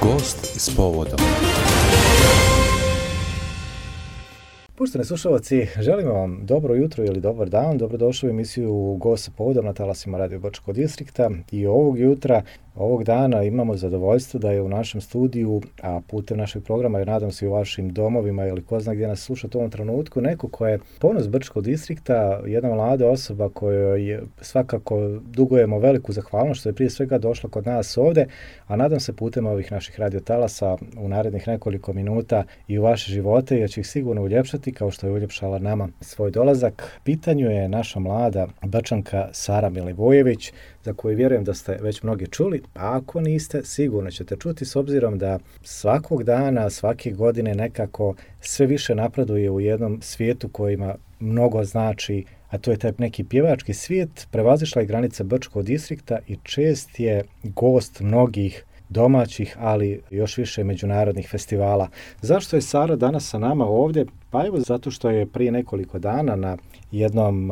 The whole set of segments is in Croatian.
Gost s povodom. Poštovani slušalci, želimo vam dobro jutro ili dobar dan. Dobrodošli u emisiju Gost s povodom na talasima Radio Brčkog distrikta. I ovog dana imamo zadovoljstvo da je u našem studiju, a putem našeg programa, jer nadam se i u vašim domovima ili ko zna gdje nas slušate u ovom trenutku, neko ko je ponos Brčkog distrikta, jedna mlada osoba kojoj svakako dugujemo veliku zahvalnost što je prije svega došla kod nas ovdje, a nadam se putem ovih naših radio talasa u narednih nekoliko minuta i u vaše živote, jer će ih sigurno uljepšati kao što je uljepšala nama svoj dolazak. Pitanju je naša mlada Brčanka Sara Milivojević, za koju vjerujem da ste već mnogi čuli, a ako niste, sigurno ćete čuti s obzirom da svakog dana, svake godine nekako sve više napreduje u jednom svijetu kojima mnogo znači, a to je taj neki pjevački svijet. Prevazišla je granice Brčkog distrikta i čest je gost mnogih domaćih, ali još više međunarodnih festivala. Zašto je Sara danas sa nama ovdje? Pa evo zato što je prije nekoliko dana na jednom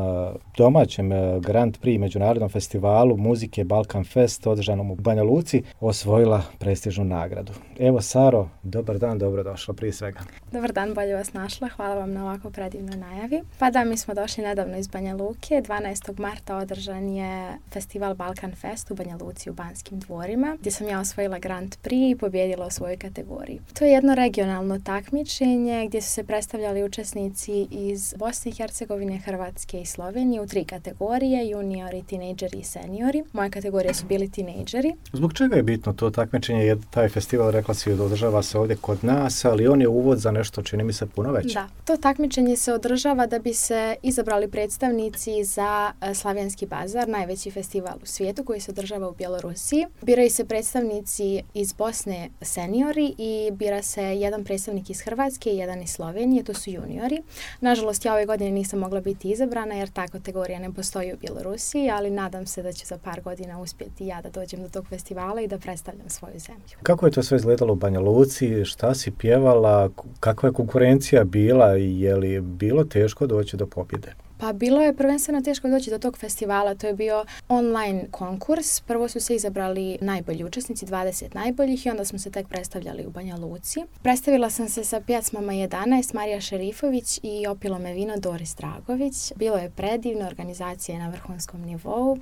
domaćem Grand Prix međunarodnom festivalu muzike Balkan Fest održanom u Banja Luci osvojila prestižnu nagradu. Evo Saro, dobar dan, dobrodošla prije svega. Dobar dan, bolje vas našla, hvala vam na ovako predivnoj najavi. Pa da, mi smo došli nedavno iz Banja Luke, 12. marta održan je festival Balkan Fest u Banja Luci u Banskim dvorima, gdje sam ja osvojila Grand Prix i pobijedila u svojoj kategoriji. To je jedno regionalno takmičenje gdje su se predstavljali učesnici iz Bosne i Hercegovine, Hrvatske i Slovenije u 3 kategorije, juniori, tinejdžeri i seniori. Moje kategorije su bili tinejdžeri. Zbog čega je bitno to takmičenje? Jer taj festival, rekla si, održava se ovdje kod nas, ali on je uvod za nešto, čini mi se, puno veće. Da, to takmičenje se održava da bi se izabrali predstavnici za Slavijanski bazar, najveći festival u svijetu koji se održava u Bjelorusiji. Biraju se predstavnici iz Bosne seniori i bira se jedan predstavnik iz Hrvatske i jedan iz Slovenije, to su juniori. Nažalost, ja ove godine nisam mogla biti izabrana jer ta kategorija ne postoji u Bjelorusiji, ali nadam se da ću za par godina uspjeti ja da dođem do tog festivala i da predstavljam svoju zemlju. Kako je to sve izgledalo u Banja Luci? Šta si pjevala? Kakva je konkurencija bila i je li bilo teško doći do pobjede? Pa bilo je prvenstveno teško doći do tog festivala, to je bio online konkurs. Prvo su se izabrali najbolji učesnici, 20 najboljih i onda smo se tek predstavljali u Banja Luci. Predstavila sam se sa pjesmama 11, Marija Šerifović i Opilo me vino, Doris Dragović. Bilo je predivno, organizacija je na vrhunskom nivou,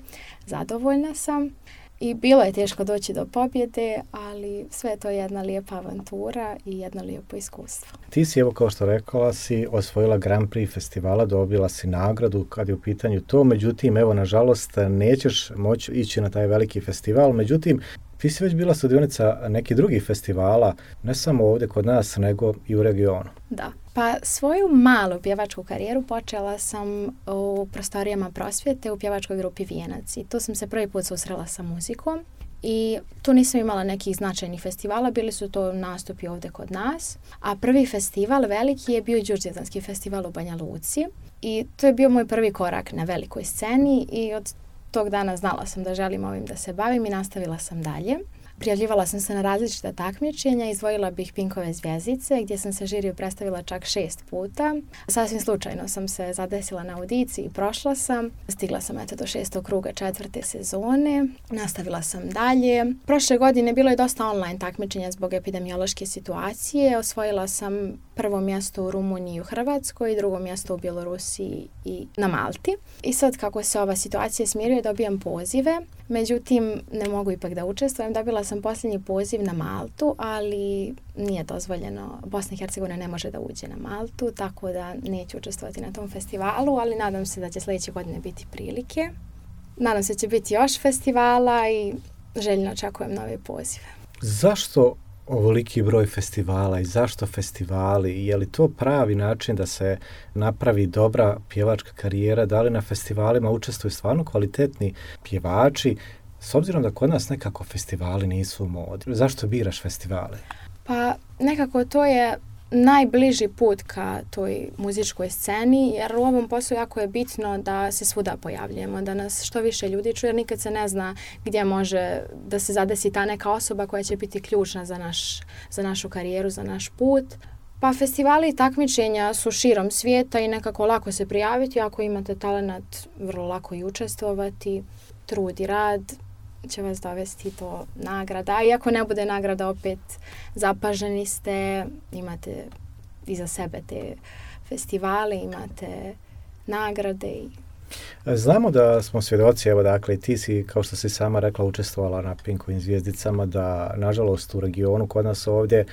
zadovoljna sam. I bilo je teško doći do pobjede, ali sve je to jedna lijepa avantura i jedno lijepo iskustvo. Ti si, evo kao što rekla si, osvojila Grand Prix festivala, dobila si nagradu kad je u pitanju to, međutim, evo, nažalost, nećeš moći ići na taj veliki festival, međutim, ti si već bila sudionica nekih drugih festivala, ne samo ovdje kod nas, nego i u regionu. Da. Pa svoju malu pjevačku karijeru počela sam u prostorijama prosvjete u pjevačkoj grupi Vijenac i tu sam se prvi put susrela sa muzikom i tu nisam imala nekih značajnih festivala, bili su to nastupi ovdje kod nas, a prvi festival veliki je bio Đurđevdanski festival u Banja Luci i to je bio moj prvi korak na velikoj sceni i od tog dana znala sam da želim ovim da se bavim i nastavila sam dalje. Prijavljivala sam se na različita takmičenja, izdvojila bih Pinkove zvjezdice gdje sam se žiriju predstavila čak 6 puta. Sasvim slučajno sam se zadesila na audiciji i prošla sam. Stigla sam do 6. kruga 4. sezone, nastavila sam dalje. Prošle godine bilo je dosta online takmičenja zbog epidemiološke situacije. Osvojila sam prvo mjesto u Rumuniji i u Hrvatskoj i drugo mjesto u Bjelorusiji i na Malti. I sad kako se ova situacija smiruje dobijam pozive, međutim ne mogu ipak da učestvujem. Dobila sam posljednji poziv na Maltu, ali nije dozvoljeno. Bosna i Hercegovina ne može da uđe na Maltu, tako da neću učestvovati na tom festivalu, ali nadam se da će sljedeće godine biti prilike. Nadam se da će biti još festivala i željno očekujem nove pozive. Zašto ovoliki broj festivala i zašto festivali? Je li to pravi način da se napravi dobra pjevačka karijera? Da li na festivalima učestvuju stvarno kvalitetni pjevači? S obzirom da kod nas nekako festivali nisu u modi. Zašto biraš festivale? Pa nekako to je najbliži put ka toj muzičkoj sceni, jer u ovom poslu jako je bitno da se svuda pojavljujemo, da nas što više ljudi čuje, jer nikad se ne zna gdje može da se zadesi ta neka osoba koja će biti ključna za našu karijeru, za naš put. Pa festivali i takmičenja su širom svijeta i nekako lako se prijaviti, ako imate talenat, vrlo lako i učestvovati, trud i rad će vas dovesti do nagrada. A i ako ne bude nagrada, opet zapaženi ste, imate iza sebe te festivale, imate nagrade i znamo da smo svjedoci, evo dakle, ti si, kao što si sama rekla, učestvovala na Pinkovim zvijezdicama, da nažalost u regionu kod nas ovdje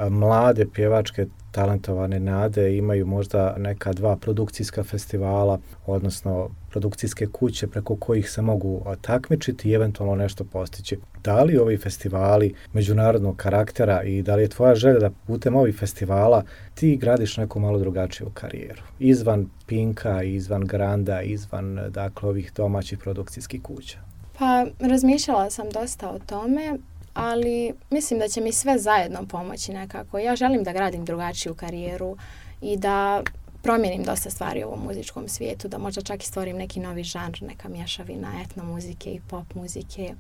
mlade pjevačke talentovane nade imaju možda neka 2 produkcijska festivala, odnosno produkcijske kuće preko kojih se mogu takmičiti i eventualno nešto postići. Da li ovi festivali međunarodnog karaktera i da li je tvoja želja da putem ovih festivala ti gradiš neku malo drugačiju karijeru? Izvan Pinka, izvan Granda, izvan dakle ovih domaćih produkcijskih kuća? Pa razmišljala sam dosta o tome, ali mislim da će mi sve zajedno pomoći nekako. Ja želim da gradim drugačiju karijeru i da promijenim dosta stvari u ovom muzičkom svijetu, da možda čak i stvorim neki novi žanr, neka mješavina etno muzike i pop muzike.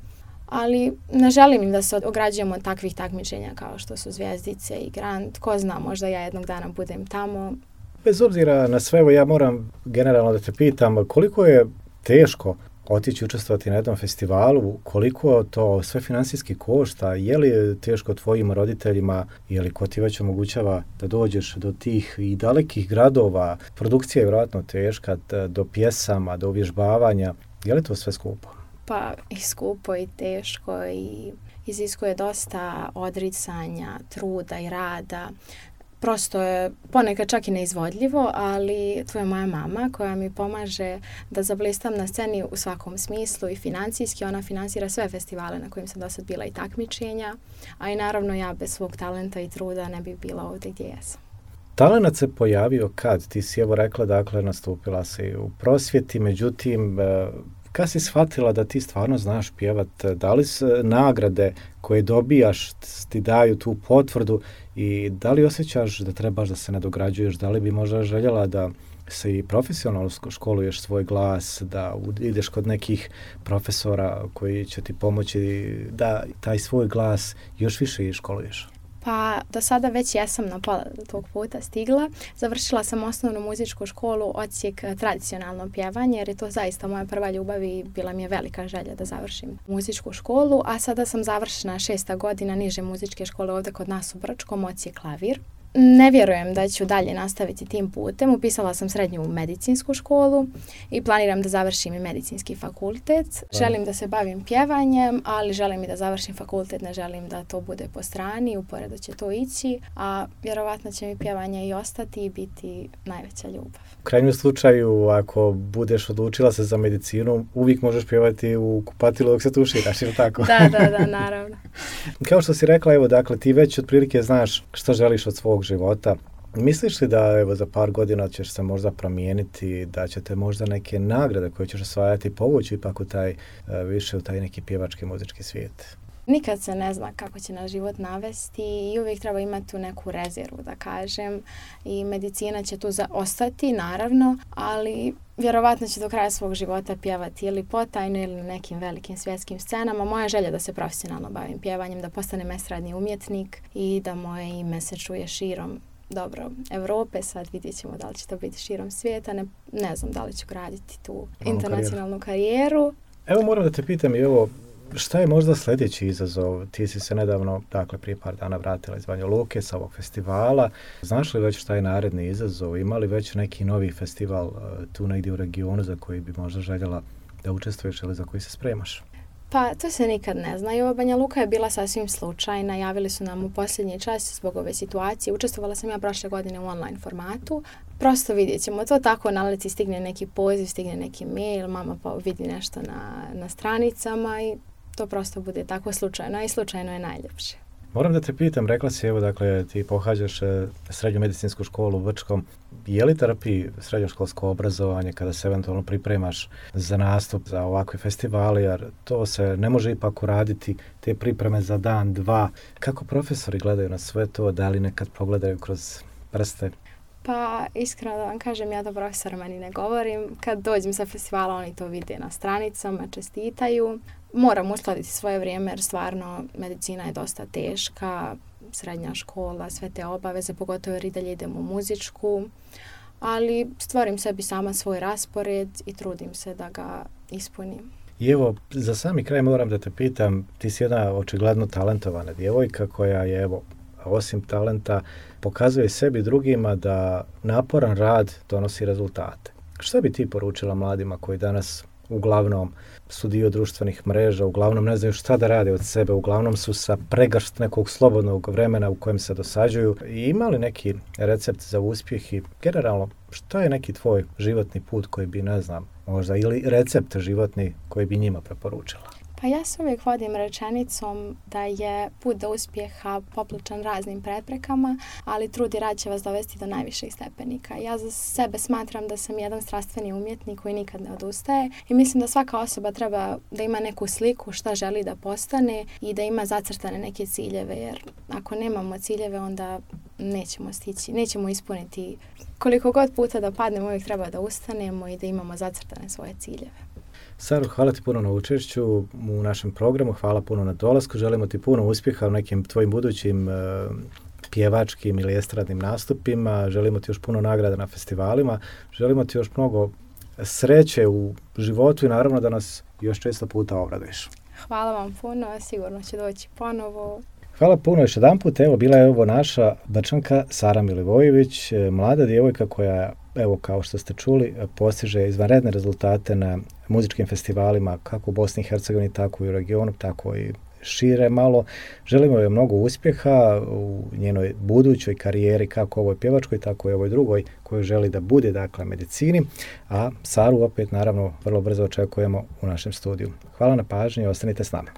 Ali ne želim im da se ograđujemo od takvih takmičenja kao što su Zvijezdice i Grand. Ko zna, možda ja jednog dana budem tamo. Bez obzira na sve, ja moram generalno da te pitam koliko je teško otići učestvovati na jednom festivalu, koliko to sve financijski košta, je li teško tvojim roditeljima, je li ko ti već omogućava da dođeš do tih i dalekih gradova, produkcija je vjerojatno teška, do pjesama, do uvježbavanja, je li to sve skupo? Pa i skupo i teško i iziskuje dosta odricanja, truda i rada. Prosto je ponekad čak i neizvodljivo, ali tu je moja mama koja mi pomaže da zablistam na sceni u svakom smislu i financijski. Ona financira sve festivale na kojim sam do sad bila i takmičenja, a i naravno ja bez svog talenta i truda ne bih bila ovdje gdje jesam. Talenat se pojavio kad? Ti si evo rekla, dakle, nastupila si u prosvjeti, međutim, kad si shvatila da ti stvarno znaš pjevat? Da li nagrade koje dobijaš ti daju tu potvrdu i da li osjećaš da trebaš da se nadograđuješ? Da li bi možda željela da se i profesionalno školuješ svoj glas, da ideš kod nekih profesora koji će ti pomoći da taj svoj glas još više školuješ? Pa do sada već jesam na pola tog puta stigla. Završila sam osnovnu muzičku školu, odsjek tradicionalno pjevanje, jer je to zaista moja prva ljubav i bila mi je velika želja da završim muzičku školu. A sada sam završena 6. godina niže muzičke škole ovdje kod nas u Brčkom, odsjek klavir. Ne vjerujem da ću dalje nastaviti tim putem. Upisala sam srednju medicinsku školu i planiram da završim i medicinski fakultet. Želim da se bavim pjevanjem, ali želim i da završim fakultet, ne želim da to bude po strani, uporedo će to ići, a vjerovatno će mi pjevanje i ostati i biti najveća ljubav. U krajnjem slučaju, ako budeš odlučila se za medicinu, uvijek možeš pjevati u kupatilu dok se tuširaš, ili tako? Da, naravno. Kao što si rekla, evo, dakle, ti već otprilike znaš što želiš od svog života. Misliš li da evo za par godina ćeš se možda promijeniti, da ćete možda neke nagrade koje ćeš osvajati povući ipak u taj, više u taj neki pjevački muzički svijet? Nikad se ne zna kako će nas život navesti i uvijek treba imati tu neku rezervu, da kažem. I medicina će tu ostati, naravno, ali vjerovatno će do kraja svog života pjevati ili potajno ili na nekim velikim svjetskim scenama. Moja želja da se profesionalno bavim pjevanjem, da postanem estradni umjetnik i da moje ime se čuje širom Europe. Sad vidjet ćemo da li će to biti širom svijeta. Ne znam da li ću graditi tu internacionalnu karijeru. Evo moram da te pitam i ovo, šta je možda sljedeći izazov? Ti si se nedavno, dakle prije par dana vratila iz Banja Luke sa ovog festivala. Znaš li već šta je naredni izazov? Ima li već neki novi festival tu negdje u regionu za koji bi možda željela da učestvuješ ili za koji se spremaš? Pa to se nikad ne zna. I ova Banja Luka je bila sasvim slučajna. Javili su nam u posljednji čas zbog ove situacije. Učestvovala sam ja prošle godine u online formatu. Prosto vidjet ćemo. To tako naleti, stigne neki poziv, stigne neki mail, mama pa vidi nešto na stranicama i to prosto bude tako slučajno i slučajno je najljepše. Moram da te pitam, rekla si, evo, dakle, ti pohađaš srednju medicinsku školu u Brčkom. Je li trpi srednjoškolsko obrazovanje kada se eventualno pripremaš za nastup za ovakve festivale, jer to se ne može ipak uraditi, te pripreme za dan, dva. Kako profesori gledaju na sve to, da li nekad pogledaju kroz prste? Pa iskreno da vam kažem, ja do profesora ni ne govorim. Kad dođem sa festivala, oni to vide na stranicama, čestitaju. Moram uskladiti svoje vrijeme jer stvarno medicina je dosta teška, srednja škola, sve te obaveze, pogotovo jer i dalje idem u muzičku, ali stvorim sebi sama svoj raspored i trudim se da ga ispunim. I evo, za sami kraj moram da te pitam, ti si jedna očigledno talentovana djevojka koja je, evo, osim talenta, pokazuje sebi drugima da naporan rad donosi rezultate. Što bi ti poručila mladima koji danas uglavnom su dio društvenih mreža, uglavnom ne znaju šta da rade od sebe, uglavnom su sa pregršt nekog slobodnog vremena u kojem se dosađuju? I ima li neki recept za uspjeh i generalno što je neki tvoj životni put koji bi, ne znam, možda ili recept životni koji bi njima preporučila? Pa ja se uvijek vodim rečenicom da je put do uspjeha popločan raznim preprekama, ali trud i rad će vas dovesti do najviših stepenika. Ja za sebe smatram da sam jedan strastveni umjetnik koji nikad ne odustaje i mislim da svaka osoba treba da ima neku sliku šta želi da postane i da ima zacrtane neke ciljeve, jer ako nemamo ciljeve onda nećemo stići, nećemo ispuniti. Koliko god puta da padnemo, uvijek treba da ustanemo i da imamo zacrtane svoje ciljeve. Saro, hvala ti puno na učešću u našem programu, hvala puno na dolasku, želimo ti puno uspjeha u nekim tvojim budućim pjevačkim ili estradnim nastupima, želimo ti još puno nagrada na festivalima, želimo ti još mnogo sreće u životu i naravno da nas još često puta obraduješ. Hvala vam puno, sigurno će doći ponovo. Hvala puno još jedanput, evo bila je ovo naša Brčanka Sara Milivojević, mlada djevojka koja, evo kao što ste čuli, postiže izvanredne rezultate na muzičkim festivalima kako u Bosni i Hercegovini, tako i u regionu, tako i šire malo. Želimo joj mnogo uspjeha u njenoj budućoj karijeri, kako ovoj pjevačkoj, tako i ovoj drugoj koju želi da bude, dakle, medicini. A Saru opet, naravno, vrlo brzo očekujemo u našem studiju. Hvala na pažnji i ostanite s nama.